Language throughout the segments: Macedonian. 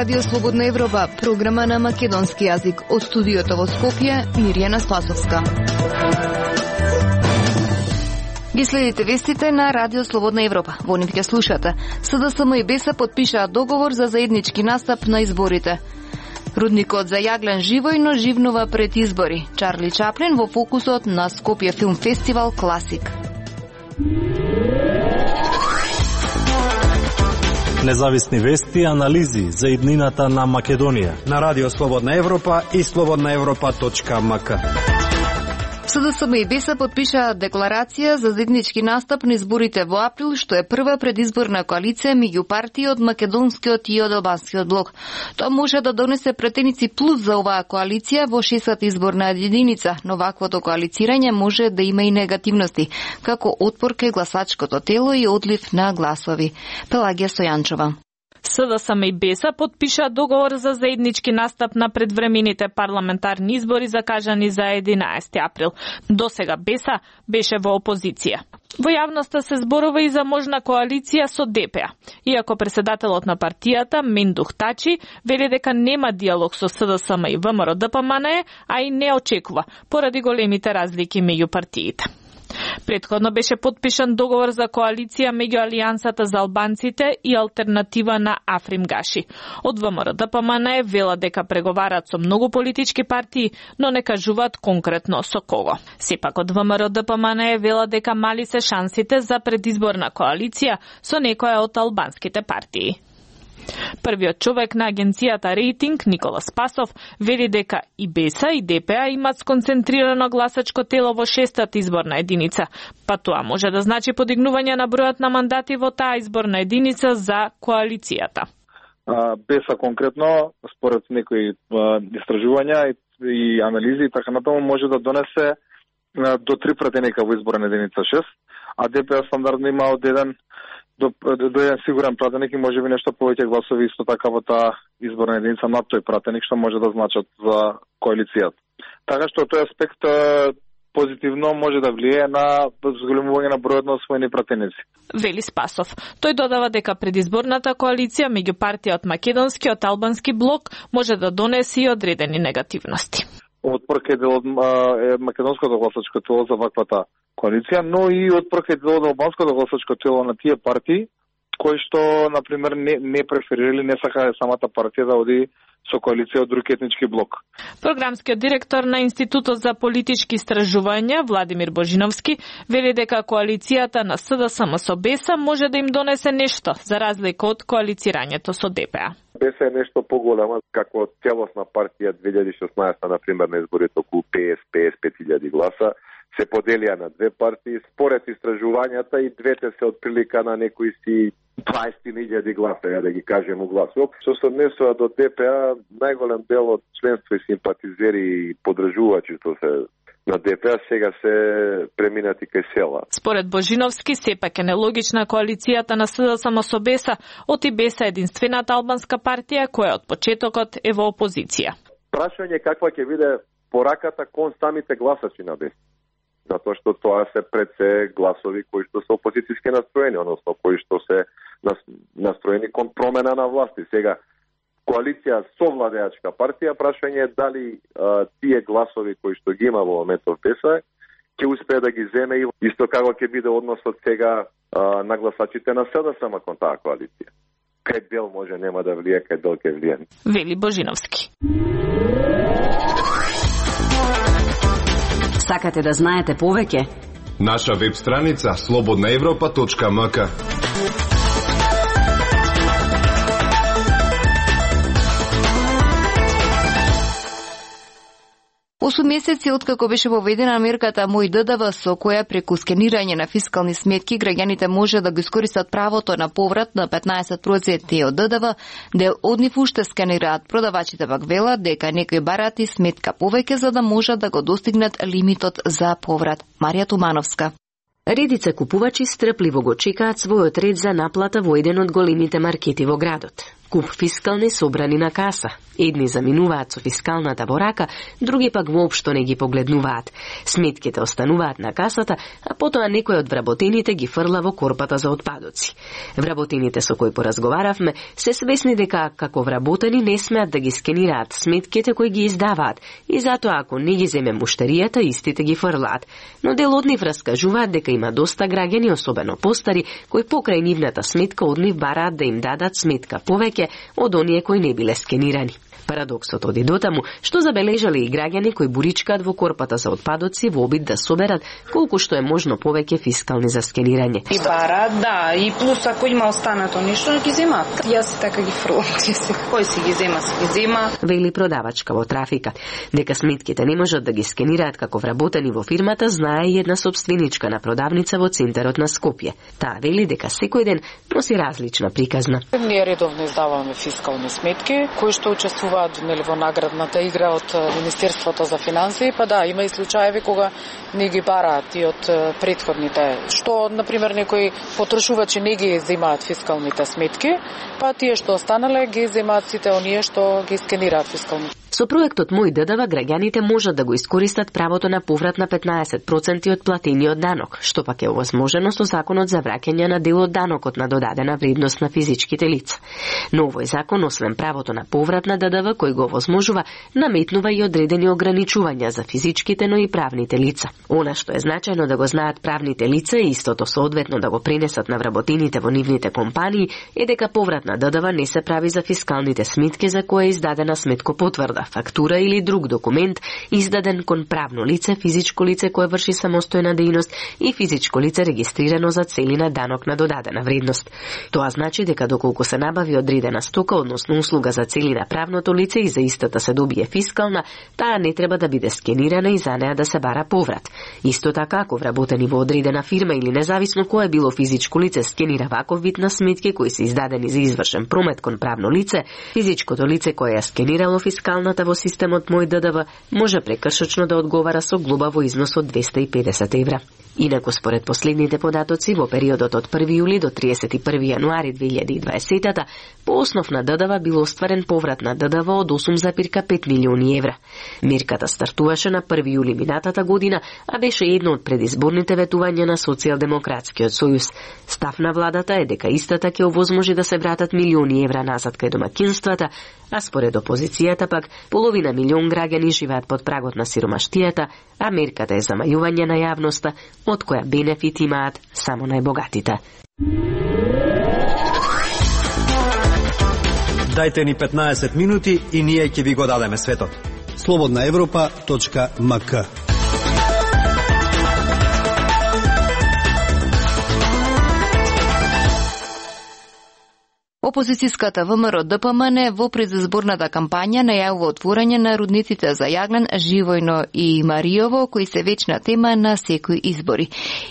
Радио Слободна Европа, програма на македонски јазик. Од студиото во Скопје, Мирјана Спасовска. Ги следите вестите на Радио Слободна Европа. Во нив ќе слушате. СДСМ и БЕСА подпишаа договор за заеднички настап на изборите. Рудникот за јаглен живојно живнува пред избори. Чарли Чаплин во фокусот на Скопје филм фестивал Класик. Независни вести и анализи за иднината на Македонија на Радио Слободна Европа и slobodnaevropa.mk. СДСМ и БЕСА подпишаа декларација за заеднички настап на изборите во април, што е прва предизборна коалиција меѓу партии од македонскиот и од албанскиот блок. Тоа може да донесе претеници плюс за оваа коалиција во 6-та изборна единица, но ваквото коалицирање може да има и негативности, како отпор кај гласачкото тело и одлив на гласови. Пелагија Стојанчова. СДСМ и БЕСА подпиша договор за заеднички настап на предвремените парламентарни избори закажани за 11 април. Досега БЕСА беше во опозиција. Во јавноста се зборува и за можна коалиција со ДПА. Иако председателот на партијата, Мендух Тачи, вели дека нема диалог со СДСМ и ВМРО-ДПМНЕ, а и не очекува, поради големите разлики меѓу партиите. Претходно беше подпишан договор за коалиција меѓу Алијансата за албанците и Алтернатива на Африм Гаши. Од ВМРО-ДПМНЕ вела дека преговараат со многу политички партии, но не кажуваат конкретно со кого. Сепак од ВМРО-ДПМНЕ вела дека мали се шансите за предизборна коалиција со некоја од албанските партии. Првиот човек на агенцијата Рейтинг, Никола Спасов, вели дека и БЕСА и ДПА имат сконцентрирано гласачко тело во 6-та изборна единица, па тоа може да значи подигнување на бројот на мандати во таа изборна единица за коалицијата. БЕСА конкретно, според некои истражувања и анализи и така натаму, може да донесе до 3 пратеника во изборна единица 6, а ДПА стандардно има од 1 до еден сигурен пратеник и може би нешто повеќе гласови исто така во таа изборна единица над тој пратеник, што може да значат за коалицијата. Така што тој аспект позитивно може да влијае на зголемување на бројот на освоени пратеници. Вели Спасов. Тој додава дека предизборната коалиција меѓу партија од македонски и од албански блок може да донесе и одредени негативности. Отпор кај дел од македонското гласачко тело за ваквата коалиција, но и отпор кај дел од албанското гласачко тело на тие партии кои што, например, не преферирали, не сакаа самата партија да оди со коалиција од друг етнички блок. Програмскиот директор на Институтот за политички истражувања, Владимир Божиновски, вели дека коалицијата на СДСМ со БЕСА може да им донесе нешто, за разлика од коалицирањето со ДПА. БЕСА е нешто поголема, како целосна партија 2016, например, на изборите околу 55.000 гласа, се поделија на две партии. Според истражувањата и двете се отприлика на некои си 20.000 гласа, да ги кажем у гласоп. Што се однесува до ДПА, најголем дел од членство и симпатизери и подржувачи што се на ДПА сега се преминати кај села. Според Божиновски, сепак е нелогична коалицијата на СДСМ со БЕСА, оти БЕСА единствената албанска партија која од почетокот е во опозиција. Прашање каква ќе биде пораката кон самите гласачи на БЕСА. Затоа што тоа се пред се гласови кои што се опозицијски настроени, односно кои што се настроени кон промена на власти. Сега, коалиција со владеачка партија, прашање е дали тие гласови кои што ги има во моментов БЕСА ќе успее да ги земе и исто како ќе биде односот сега на гласачите на СДСМ кон таа коалиција. Кај дел може нема да влие, кај дел ќе влие. Вели Божиновски. Сакате да знаете повеќе? Наша веб страница slobodnaevropa.mk. 8 месеци откако беше воведена мерката Мој ДДВ, со која преку скенирање на фискални сметки граѓаните може да го искористат правото на поврат на 15% од ДДВ, дел од нив уште скенираат. Продавачите пак велат дека некои барат и сметка повеќе за да можат да го достигнат лимитот за поврат. Марија Тумановска. Редица купувачи стрпливо го чекаат својот ред за наплата во еден од големите маркети во градот. скуп фискални собрани на каса. Едни заминуваат со фискалната во рака, други пак воопшто не ги погледнуваат. Сметките остануваат на касата, а потоа некој од вработените ги фрла во корпата за отпадоци. Вработените со кои поразговаравме се свесни дека како вработени не смеат да ги скенираат сметките кои ги издаваат и затоа ако не ги земе муштеријата, истите ги фрлаат. Но дел од нив раскажуваат дека има доста граѓани, особено постари, кои покрај нивната сметка од нив бараат да им дадат сметка повеќе од оние кои не биле скенирани. Парадоксот оди дотаму што забележале и граѓани кои буричкаат во корпата за отпадоци во обид да соберат колку што е можно повеќе фискални за скенирање. И бараат, да, и плюс ако има останато нешто, ги земаат. Јас така ги фрлам, кој си ги зема, вели продавачка во трафика. Дека сметките не можат да ги скенираат како вработени во фирмата, знае и една собственичка на продавница во центарот на Скопје. Таа вели дека секој ден носи различна приказна. Ние редовно издаваме фискални сметки кои што учествуваат во наградната игра од Министерството за финансии, па да, има и случаеви кога не ги бараат и од претходните. Што, например, некои потрошувачи не ги земаат фискалните сметки, па тие што останале ги земаат сите оние што ги скенираат фискално. Со проектот Мој ДДВ граѓаните можат да го искористат правото на поврат на 15% од платениот данок, што пак е овозможено со законот за враќање на дел од данокот на додадена вредност на физичките лица. Но овој закон, освен правото на поврат на ДДВ кој го овозможува, наметнува и одредени ограничувања за физичките, но и правните лица. Она што е значајно да го знаат правните лица и истото соодветно да го пренесат на вработените во нивните компании е дека поврат на ДДВ не се прави за фискалните сметки за која е издадена сметкопотврда, фактура или друг документ издаден кон правно лице, физичко лице кое врши самостојна дејност и физичко лице регистрирано за цели на данок на додадена вредност. Тоа значи дека доколку се набави одредена стока, односно услуга за цели на правното лице и за истата се добие фискална, таа не треба да биде скенирана и за неа да се бара поврат. Исто така, ако вработени во одредена фирма или независно кое било физичко лице скенира ваков вид на сметки кои се издадени за извршен промет кон правно лице, физичкото лице кое ја скенирало фискалната во системот Мој ДДВ може прекршочно да одговара со глоба во износ од 250 евра. Инаку според последните податоци во периодот од 1 јули до 31 јануари 2020 по основ на ДДВ бил остварен поврат на ДДВ од 8,5 милиони евра. Мерката стартуваше на 1 јули минатата година, а беше едно од предизборните ветувања на Социјалдемократскиот сојуз. Став на владата е дека истата ќе овозможи да се вратат милиони евра назад кај домаќинствата, а според опозицијата пак половина милион граѓани живеат под прагот на сиромаштијата, а мерката е замајување на јавноста, од која бенефит имаат само најбогатите. Дајте ни 15 минути и ние ќе ви го дадеме светот. slobodnaevropa.mk. Опозицијската ВМРО-ДПМН во предизборната кампања најавува отворање на рудниците за јаглен, Живојно и Маријово, кои се вечна тема на секои избори.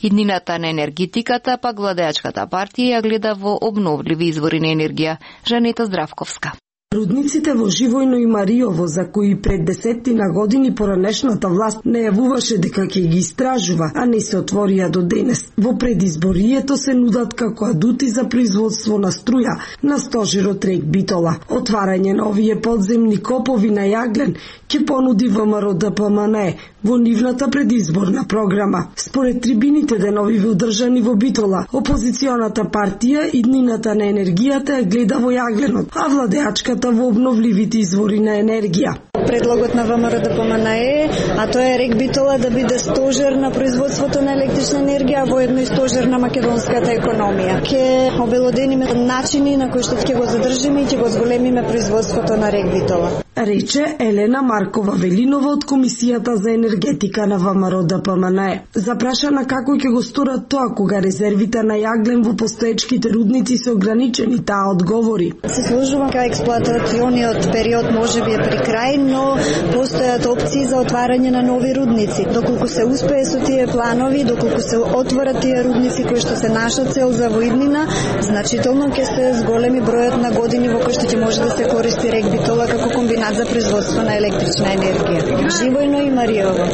Иднината на енергетиката пак владеачката партија ја гледа во обновливи извори на енергија. Жанета Здравковска. Рудниците во Живојно и Маријово, за кои пред десеттина години поранешната власт најавуваше дека ќе ги истражува, а не се отворија до денес. Во предизборието се нудат како адути за производство на струја на стожерот рек Битола. Отварање на овие подземни копови на јаглен ќе понуди ВМРО-ДПМН во нивната предизборна програма. Според трибините деновиве одржани во Битола, опозиционата партија иднината на енергијата ја гледа во јагленот, а владеачката во обновливите извори на енергија. Предлогот на ВМРО-ДПМН е, а тоа е рек Битола да биде стожер на производството на електрична енергија, а воедно и стожер на македонската економија. Ке обелодениме начини на кои што ќе го задржиме и ќе го зголемиме производството на рек Битола. Рече Елена Маркова Велинова од Комисијата за енергетика на ВМРО-ДПМН. Запрашана како ќе го сторат тоа кога резервите на јаглен во постоечките рудници се ограничени, таа одговори. Се сложува дека експлоатациониот период можеби е при крај, но постојат опции за отварање на нови рудници. Доколку се успее со тие планови, доколку се отворат тие рудници кои што се наша цел за воиднина, значително ќе се зголеми бројот на години во кои што ќе може да се користи рек Битола како комбинација за производство на електрична енергија. Живојно и Мариово.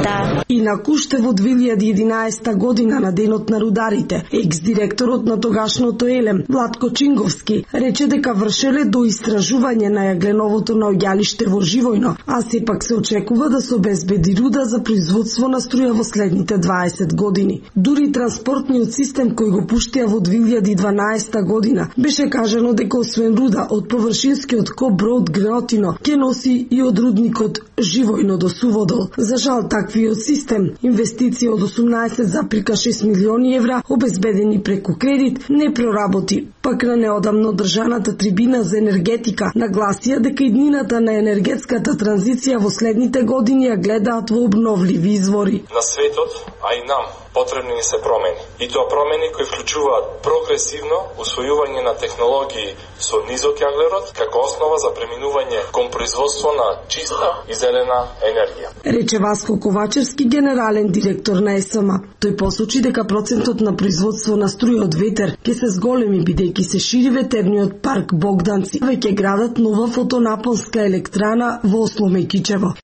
Да. И на Куштево 2011 година на денот на рударите, екс-директорот на тогашното Елем, Владко Чинговски, рече дека вршеле до истражување на јагленовото наоѓалиште во Живојно, а сепак се очекува да се обезбеди руда за производство на струја во следните 20 години. Дури транспортниот систем кој го пуштија во 2012 година беше кажано дека освен руда од површинскиот Коброд Греотино ќе носи и од рудникот Живојно до Суводол. За жал таквиот систем, инвестиција од 18,6 милиони евра обезбедени преку кредит, не проработи. Пак на неодамно држаната трибина за енергетика нагласија дека иднината на енергетската транзиција во следните години ја гледаат во обновливи извори. На светот, а и нам, потребни ни се промени. И тоа промени кои вклучуваат прогресивно усвојување на технологии со низок јаглерод како основа за преминување кон производство на чиста и зелена енергија. Рече Васко Ковачевски, генерален директор на ЕСМА. Тој посочи дека процентот на производство на струја од ветер ќе се зголеми бидејќи се шири ветерниот парк Богданци. Веќе градат нова фотонапонска електрана во Осло Мекичево.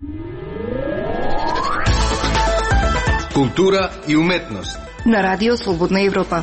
Култура и уметност. На Радио Слободна Европа.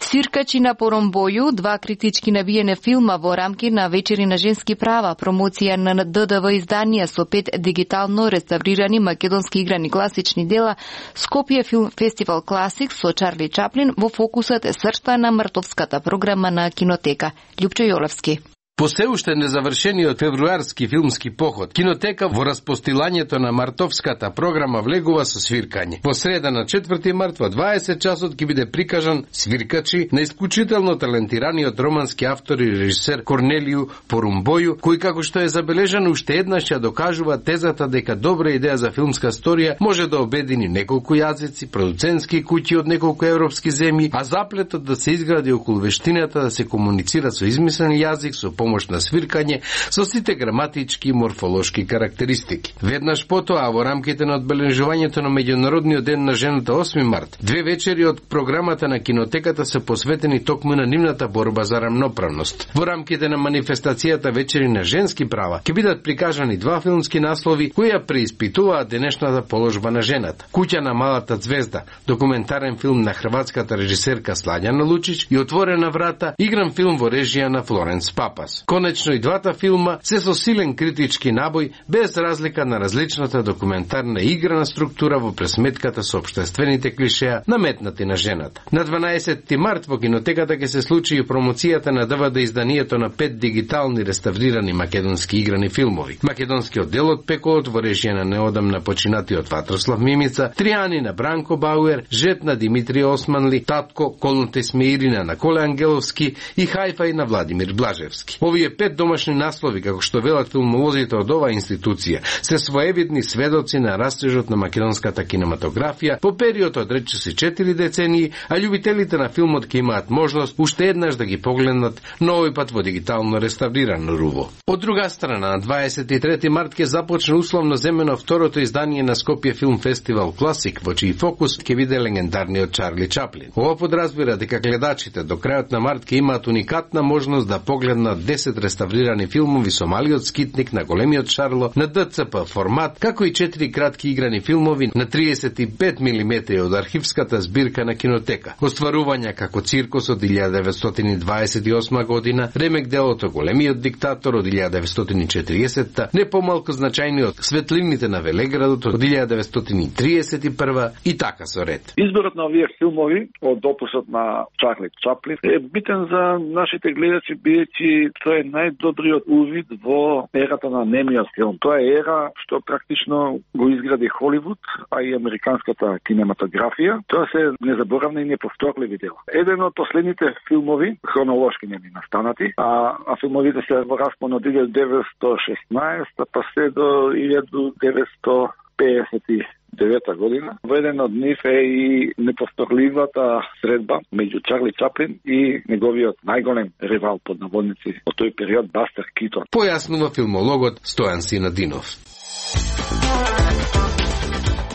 Свиркачи на Поромбоју, 2 критички набиене филма во рамки на вечери на женски права, промоција на ДДВ изданија со 5 дигитално реставрирани македонски играни класични дела, Скопје филм фестивал Класик со Чарли Чаплин во фокусот е срцта на мартовската програма на Кинотека. Љупчо Јолевски. По се уште незавршениот февруарски филмски поход, Кинотека во распостилањето на мартовската програма влегува со свиркање. Во среда на 4 март во 20 часот ќе биде прикажан Свиркачи на исклучително талентираниот романски автор и режисер Корнелију Порумбоју, кој како што е забележано уште еднаш ја докажува тезата дека добра идеја за филмска сторија може да обедини неколку јазици, продуцентски куќи од неколку европски земји, а заплетот да се изгради околу вештината да се комуницира со измислен јазик со помош на свиркање со сите граматички и морфолошки карактеристики. Веднаш потоа во рамките на одбележувањето на меѓународниот ден на жената 8 март, 2 вечери од програмата на Кинотеката се посветени токму на нивната борба за рамноправност. Во рамките на манифестацијата вечери на женски права ќе бидат прикажани 2 филмски наслови кои ја преиспитуваат денешната положба на жената. Куќа на малата звезда, документарен филм на хрватската режисерка Слањана Лучич и Отворена врата, игран филм во режија на Флоренс Папас. Конечно и двата филма се со силен критички набој, без разлика на различната документарна и играна структура во пресметката со општествените клишеа наметнати на жената. На 12 март во Кинотеката ќе се случи и промоцијата на ДВД изданието на 5 дигитални реставрирани македонски играни филмови. Македонскиот дел од Пеколот во режија на неодамна починатиот Ватрослав Мимица, Тријани на Бранко Бауер, Жет на Димитрije Османли, Татко, Колнте Смеирина на Коле Ангеловски и Хајфај на Владимир Блажевски. Овие 5 домашни наслови, како што велат филмолозите од оваа институција, се своевидни сведоци на растежот на македонската кинематографија по период од речиси 4 децении, а љубителите на филмот ќе имаат можност уште еднаш да ги погледнат, но овој пат во дигитално реставрирано руво. Од друга страна, на 23 март ќе започне условно земено второто издание на Скопје филм фестивал Класик, во чиј фокус ќе биде легендарниот Чарли Чаплин. Ова подразбира дека гледачите до крајот на март ќе имаат уникатна можност да погледнат 10 реставрирани филмови со малиот скитник на големиот Шарло на ДЦП формат, како и 4 кратки играни филмови на 35 мм од архивската збирка на Кинотека. Остварувања како Циркус од 1928 година, ремек делото Големиот диктатор од 1940-та, не помалку значајниот Светлините на Велеградот од 1931 и така со ред. Изборот на овие филмови од опусот на Чарли Чаплин е битен за нашите гледачи, бидејќи тоа е најдобриот увид во ерата на немиот филм. Тоа е ера што практично го изгради Холивуд, а и американската кинематографија. Тоа се незаборавни и неповторливи дела. Еден од последните филмови, хронолошки не ми настанати, а филмовите се во распон од 1916 па се до 1959 година. Во еден од нив е и неповторливата средба меѓу Чарли Чаплин и неговиот најголем ревал под наводници од тој период Бастер Китон. Појаснува филмологот Стојан Синадинов.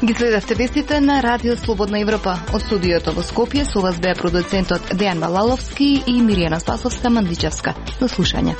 Ги следевте вестите на Радио Слободна Европа. Од студиото во Скопје со вас беа продуцентот Дејан Балаловски и Миријана Спасовска Мандичевска. До слушање.